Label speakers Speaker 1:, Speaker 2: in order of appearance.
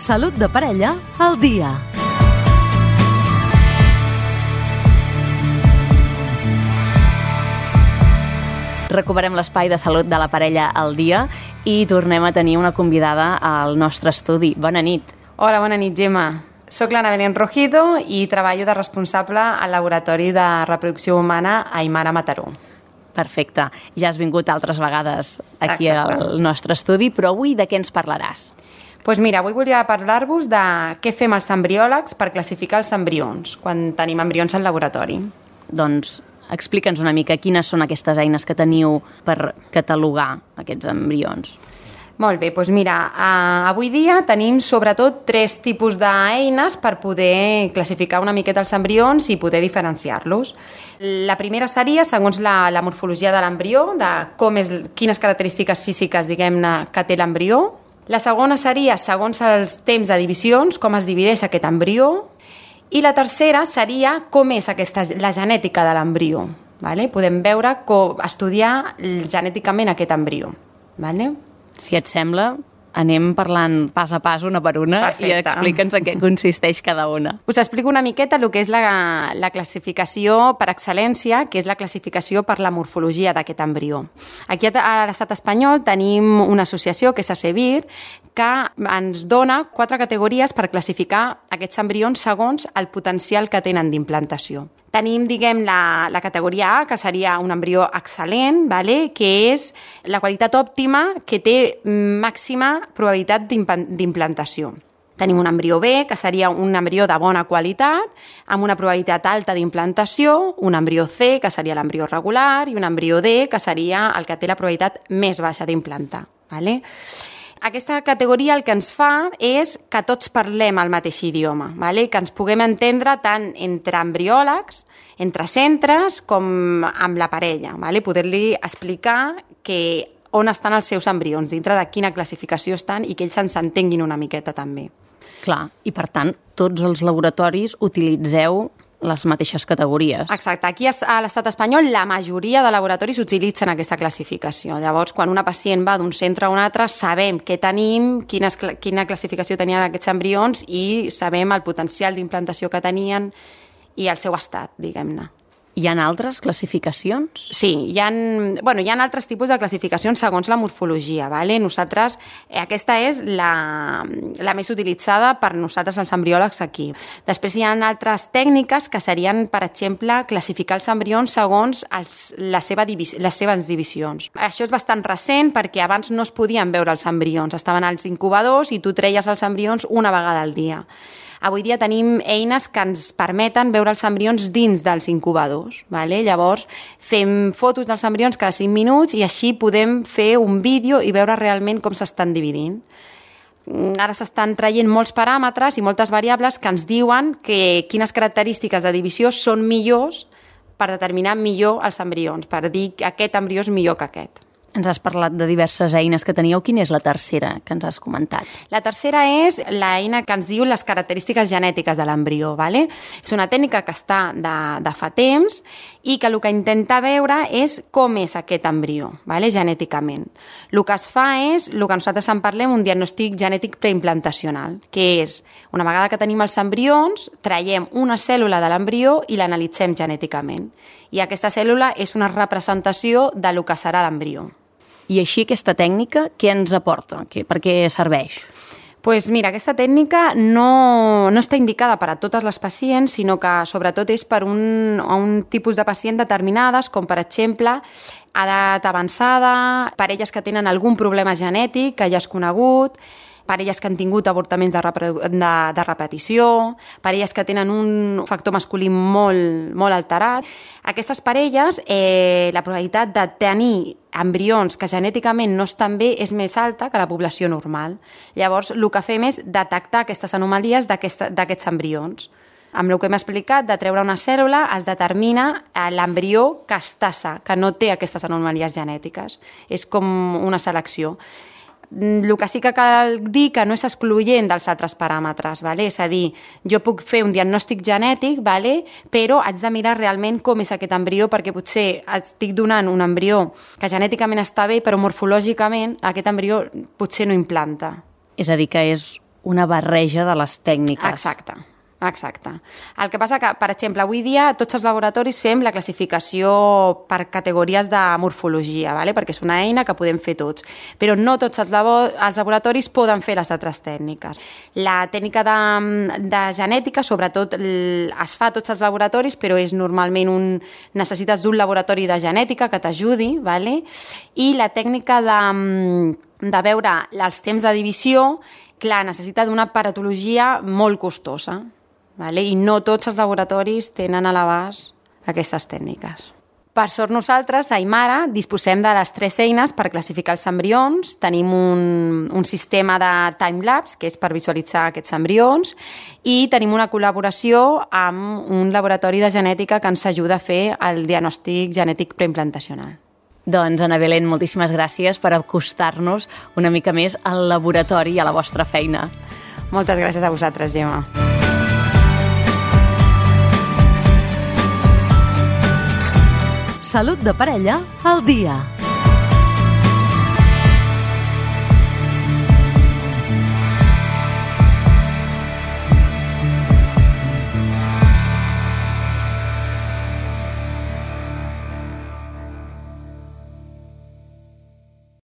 Speaker 1: Salut de parella al dia. Recuperem l'espai de salut de la parella al dia i tornem a tenir una convidada al nostre estudi. Bona nit.
Speaker 2: Hola, bona nit, Gemma. Soc l'Anna Belén Rojido i treballo de responsable al Laboratori de Reproducció Humana a Aimara Mataró.
Speaker 1: Perfecte. Ja has vingut altres vegades aquí al nostre estudi, però avui de què ens parlaràs?
Speaker 2: Doncs mira, avui volia parlar-vos de què fem els embriòlegs per classificar els embrions quan tenim embrions al laboratori.
Speaker 1: Doncs explica'ns una mica quines són aquestes eines que teniu per catalogar aquests embrions.
Speaker 2: Molt bé, doncs mira, avui dia tenim sobretot 3 tipus d'eines per poder classificar una miqueta els embrions i poder diferenciar-los. La primera seria, segons la morfologia de l'embrió, de quines característiques físiques, diguem-ne, que té l'embrió. La segona seria, segons els temps de divisions, com es divideix aquest embrió. I la tercera seria com és la genètica de l'embrió. Vale? Podem veure estudiar genèticament aquest embrió. Vale?
Speaker 1: Si et sembla, anem parlant pas a pas, una per una. Perfecte. I explica'ns en què consisteix cada una.
Speaker 2: Us explico una miqueta el que és la classificació per excel·lència, que és la classificació per la morfologia d'aquest embrió. Aquí a l'estat espanyol tenim una associació, que és ACEVIR, que ens dona 4 categories per classificar aquests embrions segons el potencial que tenen d'implantació. Tenim, la categoria A, que seria un embrió excel·lent, vale? Que és la qualitat òptima que té màxima probabilitat d'implantació. Tenim un embrió B, que seria un embrió de bona qualitat, amb una probabilitat alta d'implantació, un embrió C, que seria l'embrió regular, i un embrió D, que seria el que té la probabilitat més baixa d'implantar. Vale? Aquesta categoria el que ens fa és que tots parlem el mateix idioma, vale? Que ens puguem entendre tant entre embriòlegs, entre centres, com amb la parella. Vale? Poder-li explicar on estan els seus embrions, dintre de quina classificació estan i que ells ens entenguin una miqueta també.
Speaker 1: Clar, i per tant, tots els laboratoris utilitzeu les mateixes categories.
Speaker 2: Exacte. Aquí a l'estat espanyol la majoria de laboratoris utilitzen aquesta classificació. Llavors, quan una pacient va d'un centre a un altre, sabem què tenim, quina classificació tenien aquests embrions i sabem el potencial d'implantació que tenien i el seu estat, diguem-ne.
Speaker 1: Hi ha altres classificacions?
Speaker 2: Sí, hi ha altres tipus de classificacions segons la morfologia. Vale? Nosaltres, aquesta és la més utilitzada per nosaltres els embriòlegs aquí. Després hi ha altres tècniques que serien, per exemple, classificar els embrions segons les seves divisions. Això és bastant recent perquè abans no es podien veure els embrions. Estaven als incubadors i tu treies els embrions una vegada al dia. Avui dia tenim eines que ens permeten veure els embrions dins dels incubadors. Vale? Llavors, fem fotos dels embrions cada 5 minuts i així podem fer un vídeo i veure realment com s'estan dividint. Ara s'estan traient molts paràmetres i moltes variables que ens diuen quines característiques de divisió són millors per determinar millor els embrions, per dir que aquest embrió és millor que aquest.
Speaker 1: Ens has parlat de diverses eines que teníeu. Quina és la tercera que ens has comentat?
Speaker 2: La tercera és l'eina que ens diu les característiques genètiques de l'embrió. Vale? És una tècnica que està de fa temps i que el que intenta veure és com és aquest embrió, vale? Genèticament. El que es fa és, el que nosaltres en parlem, un diagnòstic genètic preimplantacional, que és, una vegada que tenim els embrions, traiem una cèl·lula de l'embrió i l'analitzem genèticament. I aquesta cèl·lula és una representació del que serà l'embrió.
Speaker 1: I així aquesta tècnica què ens aporta? Per què serveix?
Speaker 2: Doncs mira, aquesta tècnica no està indicada per a totes les pacients, sinó que sobretot és per a un tipus de pacient determinades, com per exemple edat avançada, parelles que tenen algun problema genètic que ja és conegut, parelles que han tingut avortaments de repetició, parelles que tenen un factor masculí molt alterat. Aquestes parelles, la probabilitat de tenir embrions que genèticament no estan bé és més alta que la població normal. Llavors, el que fem és detectar aquestes anomalies d'aquests embrions. Amb el que hem explicat, de treure una cèl·lula es determina l'embrió que està sa, que no té aquestes anomalies genètiques. És com una selecció. El que sí que cal dir que no és excloent dels altres paràmetres, vale? És a dir, jo puc fer un diagnòstic genètic, vale? Però haig de mirar realment com és aquest embrió, perquè potser estic donant un embrió que genèticament està bé, però morfològicament aquest embrió potser no implanta.
Speaker 1: És a dir, que és una barreja de les tècniques.
Speaker 2: Exacte. El que passa que, per exemple, avui dia tots els laboratoris fem la classificació per categories de morfologia, perquè és una eina que podem fer tots, però no tots els laboratoris poden fer les altres tècniques. La tècnica de genètica, sobretot, es fa a tots els laboratoris, però és normalment necessites d'un laboratori de genètica que t'ajudi, i la tècnica de veure els temps de divisió, clar, necessita d'una aparatologia molt costosa. I no tots els laboratoris tenen a l'abast aquestes tècniques. Per sort nosaltres, a Aimara, disposem de les 3 eines per classificar els embrions. Tenim un sistema de time-lapse, que és per visualitzar aquests embrions, i tenim una col·laboració amb un laboratori de genètica que ens ajuda a fer el diagnòstic genètic preimplantacional.
Speaker 1: Doncs, Ana Belén, moltíssimes gràcies per acostar-nos una mica més al laboratori i a la vostra feina.
Speaker 2: Moltes gràcies a vosaltres, Gemma.
Speaker 3: Salut de parella al dia.